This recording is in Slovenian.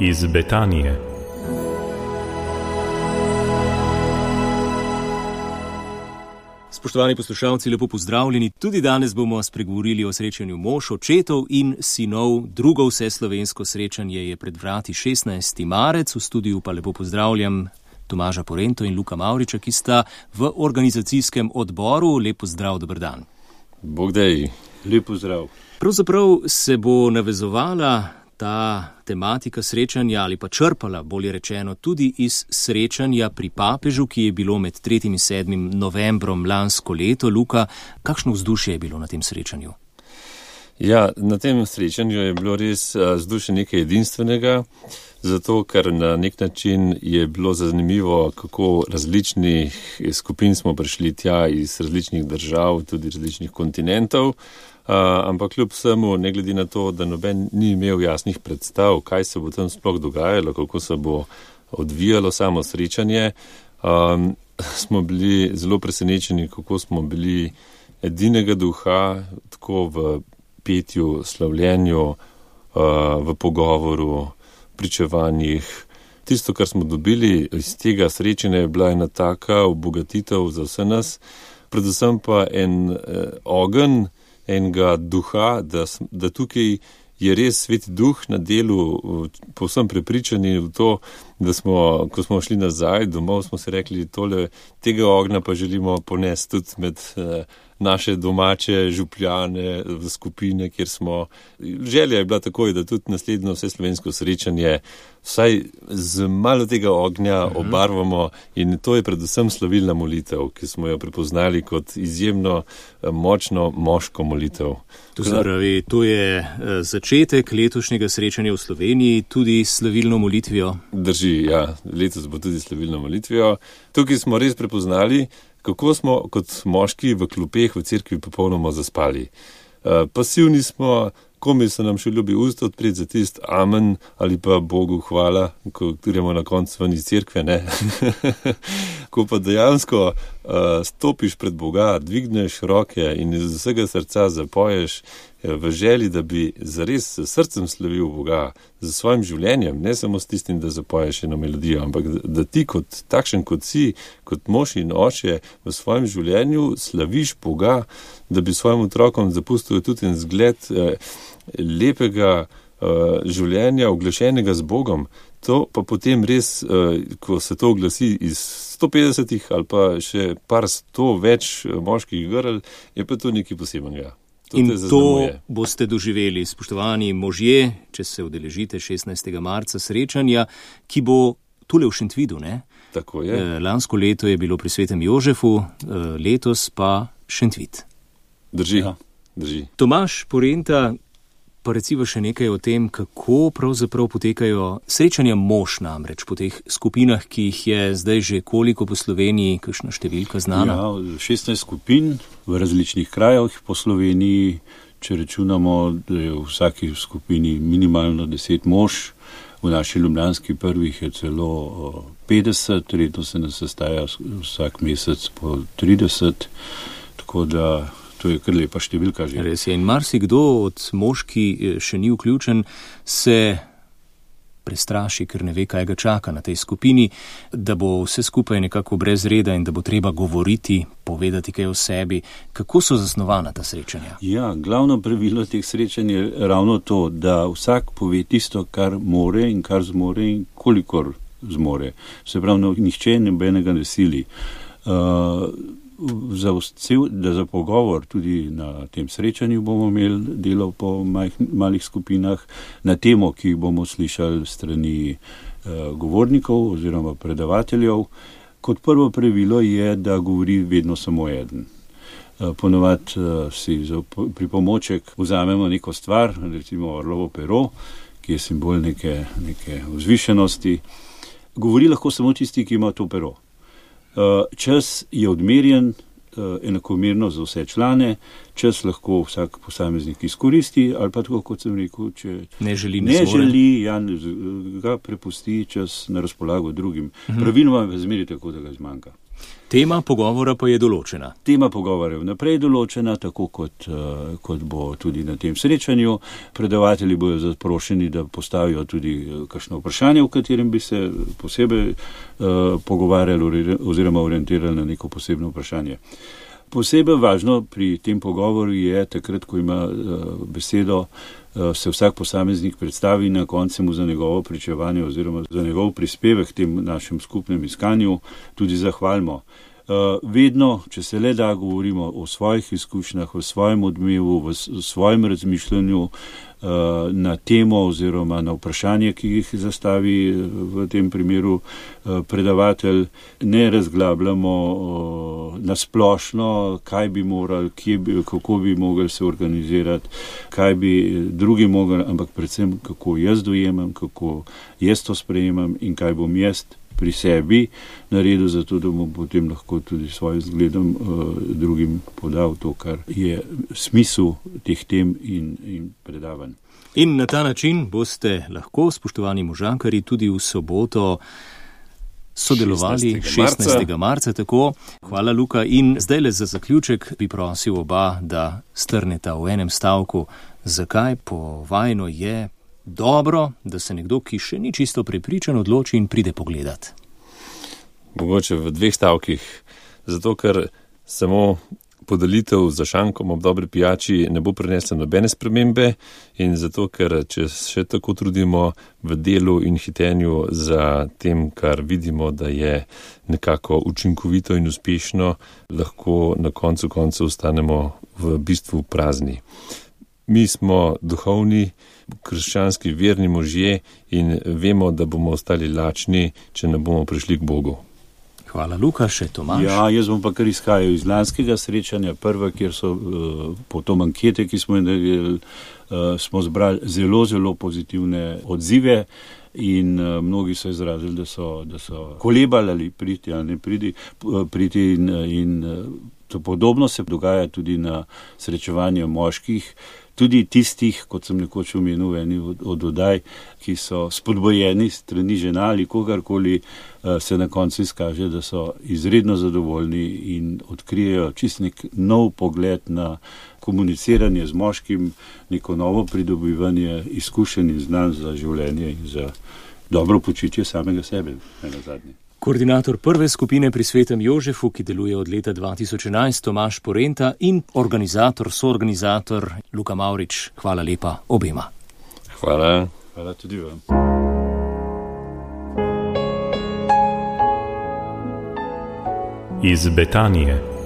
iz Betanije. Spoštovani poslušalci, lepo pozdravljeni. Tudi danes bomo spregovorili o srečanju mož, očetov in sinov. Drugo vseslovensko srečanje je pred vrati 16. marec. V studiu pa lepo pozdravljam Tomaža Porento in Luka Mavriča, ki sta v organizacijskem odboru. Lep pozdrav, dober dan. Bog dej, lep pozdrav. Pravzaprav se bo navezovala ta tematika srečanja ali pa črpala, bolje rečeno, tudi iz srečanja pri papežu, ki je bilo med 3. in 7. novembrom lansko leto. Luka, kakšno vzdušje je bilo na tem srečanju? Ja, na tem srečanju je bilo res vzdušje nekaj edinstvenega, zato ker na nek način je bilo zanimivo, kako različnih skupin smo prišli tja iz različnih držav, tudi različnih kontinentov. Ampak kljub vsemu, ne glede na to, da noben ni imel jasnih predstav, kaj se bo tam sploh dogajalo, kako se bo odvijalo samo srečanje, smo bili zelo presenečeni, kako smo bili edinega duha, tako v petju, slavljenju, v pogovoru, pričevanjih. Tisto, kar smo dobili iz tega srečanja, je bila ena taka obogatitev za vse nas, predvsem pa en ogenj enega duha, da tukaj je res sveti duh na delu, povsem prepričani v to, da smo, ko smo šli nazaj domov, smo si rekli, tega ognja pa želimo ponesti tudi med naše domače župljane, v skupine, kjer smo. Želja je bila takoj, da tudi naslednjo vseslovensko srečanje vsaj z malo tega ognja obarvamo, in to je predvsem slavilna molitev, ki smo jo prepoznali kot izjemno močno moško molitev. To se pravi, to je začetek letošnjega srečanja v Sloveniji, tudi s slavilno molitvijo. Drži, ja, letos bo tudi slavilno molitvijo. Tukaj smo res prepoznali, kako smo kot moški v klopeh v cerkvi popolnoma zaspali. Pasivni smo, komaj se nam še ljubi usta odpreti za tist amen ali pa Bogu hvala, ko gremo na koncu ven iz cerkve, ne. Ko pa dejansko stopiš pred Boga, dvigneš roke in iz vsega srca zapoješ v želji, da bi zares s srcem slavil Boga, z svojim življenjem, ne samo s tistim, da zapoješ eno melodijo, ampak da ti kot takšen, kot si, kot mož in oče v svojem življenju slaviš Boga, da bi svojim otrokom zapustil tudi en zgled lepega življenja, oglašenega z Bogom. To pa potem res, ko se to oglasi iz 150 ali pa še par 100 več moških grl, je pa to nekaj posebnega. In to boste doživeli, spoštovani možje, če se udeležite 16. marca srečanja, ki bo tule v Šentvidu, ne? Tako je. Lansko leto je bilo pri svetem Jožefu, letos pa Šentvid. Drži, ja. Drži. Tomaž Porenta, pa reciva še nekaj o tem, kako pravzaprav potekajo srečanja mož namreč po teh skupinah, ki jih je zdaj že koliko po Sloveniji, kakšna številka znana? Ja, 16 skupin v različnih krajih po Sloveniji, če računamo, da je v vsaki skupini minimalno 10 mož, v naši ljubljanski prvih je celo 50, redno se nas sestaja vsak mesec po 30, tako da to je kar lepa številka že. Res je, in marsikdo od mož, ki še ni vključen, se prestraši, ker ne ve, kaj ga čaka na tej skupini, da bo vse skupaj nekako brez reda in da bo treba govoriti, povedati kaj o sebi. Kako so zasnovana ta srečanja? Ja, glavno pravilo teh srečanj je ravno to, da vsak pove tisto, kar more in kar zmore in kolikor zmore. Se pravi, nihče nobenega ne sili. Za pogovor tudi na tem srečanju bomo imeli delo po malih skupinah na temo, ki bomo slišali strani govornikov oziroma predavateljev. Kot prvo pravilo je, da govori vedno samo eden. Ponovadi si za pripomoček vzamemo neko stvar, recimo orlovo pero, ki je simbol neke vzvišenosti. Govori lahko samo tisti, ki ima to pero. Čas je odmerjen enakomerno za vse člane, čas lahko vsak posameznik izkoristi, ali pa tako, kot sem rekel, če ne želi, ga prepusti čas na razpolago drugim. Praviloma je zmeri tako, da ga zmanjka. Tema pogovora pa je določena. Tema pogovora je vnaprej določena, tako kot bo tudi na tem srečanju. Predavatelji bodo zaprošeni, da postavijo tudi kakšno vprašanje, v katerem bi se posebej pogovarjali oziroma orientirali na neko posebno vprašanje. Posebej važno pri tem pogovoru je takrat, ko ima besedo, se vsak posameznik predstavi in na koncu mu za njegovo pričevanje oziroma za njegov prispevek tem našem skupnem iskanju tudi zahvalimo. Vedno, če se le da, govorimo o svojih izkušnjah, o svojem odmevu, o svojem razmišljanju na temo oziroma na vprašanje, ki jih zastavi v tem primeru predavatelj. Ne razglabljamo na splošno, kaj bi morali, kako bi mogli se organizirati, kaj bi drugi mogli, ampak predvsem, kako jaz dojemam, kako jaz to sprejemam in kaj bom jaz pri sebi naredil, zato da bom potem lahko tudi svojim zgledom drugim podal to, kar je smisel teh tem in predavanj. In na ta način boste lahko, spoštovani možakarji, tudi v soboto sodelovali 16. marca. Tako. Hvala, Luka. In zdaj le za zaključek bi prosil oba, da strneta v enem stavku, zakaj po vajno je dobro, da se nekdo, ki še ni čisto prepričan, odloči in pride pogledat. Mogoče v 2 stavkih. Zato, ker samo podelitev za šankom ob dobri pijači ne bo prinesla nobene spremembe in zato, ker če še tako trudimo v delu in hitenju za tem, kar vidimo, da je nekako učinkovito in uspešno, lahko na koncu ostanemo v bistvu prazni. Mi smo duhovni, krščanski, verni možje in vemo, da bomo ostali lačni, če ne bomo prišli k Bogu. Hvala, Luka. Še Tomaž? Ja, jaz bom pa kar izhajal iz lanskega srečanja, prva, kjer so potom ankete, ki smo naredili, smo zbrali zelo pozitivne odzive in mnogi so izrazili, da so kolebali ali priti ali ne priti in to podobno se dogaja tudi na srečevanju moških, tudi tistih, kot sem nekoč omenil, eni od oddaj, ki so spodbojeni strani žena ali kogarkoli, se na koncu izkaže, da so izredno zadovoljni in odkrijejo čist nek nov pogled na komuniciranje z moškim, neko novo pridobivanje izkušenj in znanj za življenje in za dobro počutje samega sebe, nenazadnje. Koordinator prve skupine pri Svetem Jožefu, ki deluje od leta 2011, Tomaž Porenta in soorganizator Luka Mavrič. Hvala lepa obema. Hvala. Hvala tudi vam. Iz Betanije.